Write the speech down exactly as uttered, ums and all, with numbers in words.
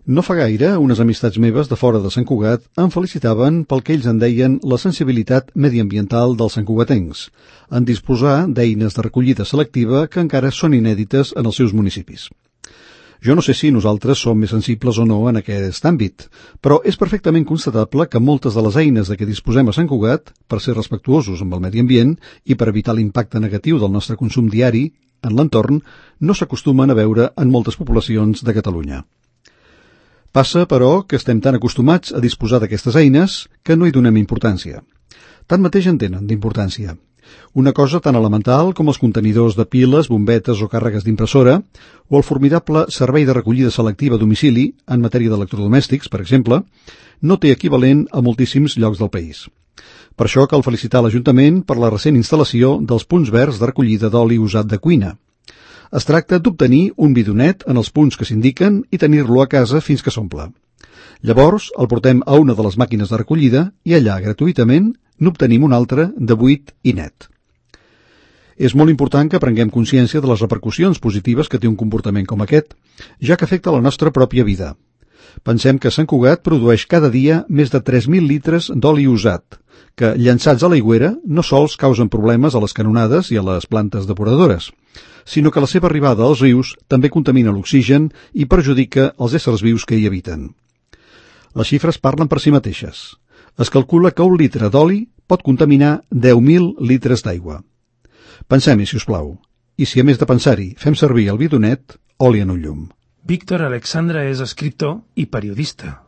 No fa gaire, unes amistats meves de fora de Sant Cugat em felicitaven pel que ells en deien la sensibilitat mediambiental dels santcugatencs, en disposar d'eines de recollida selectiva que encara són inèdites en els seus municipis. Jo no sé si nosaltres som més sensibles o no en aquest àmbit, però és perfectament constatable que moltes de les eines de què disposem a Sant Cugat, per ser respectuosos amb el medi ambient i per evitar l'impacte negatiu del nostre consum diari en l'entorn, no s'acostumen a veure en moltes poblacions de Catalunya. Passa, però, que estem tan acostumats a disposar d'aquestes eines que no hi donem importància. Tanmateix en tenen d'importància. Una cosa tan elemental com els contenidors de piles, bombetes o càrregues d'impressora, o el formidable servei de recollida selectiva a domicili, en matèria d'electrodomèstics, per exemple, no té equivalent a moltíssims llocs del país. Per això cal felicitar l'Ajuntament per la recent instal·lació dels punts verds de recollida d'oli usat de cuina. Es tracta d'obtenir un bidonet en els punts que s'indiquen i tenir-lo a casa fins que s'omple. Llavors el portem a una de les màquines de recollida i allà, gratuïtament, n'obtenim un altre de buit i net. És molt important que prenguem consciència de les repercussions positives que té un comportament com aquest, ja que afecta la nostra pròpia vida. Pensem que Sant Cugat produeix cada dia més de tres mil litres d'oli usat, que, llançats a l'aigüera, no sols causen problemes a les canonades i a les plantes depuradores, sinó que la seva arribada als rius també contamina l'oxigen i perjudica els éssers vius que hi habiten. Les xifres parlen per si mateixes. Es calcula que un litre d'oli pot contaminar deu mil litres d'aigua. Pensem-hi, si us plau. I si a més de pensar-hi fem servir el bidonet, oli en un llum. Víctor Alexandra és escriptor i periodista.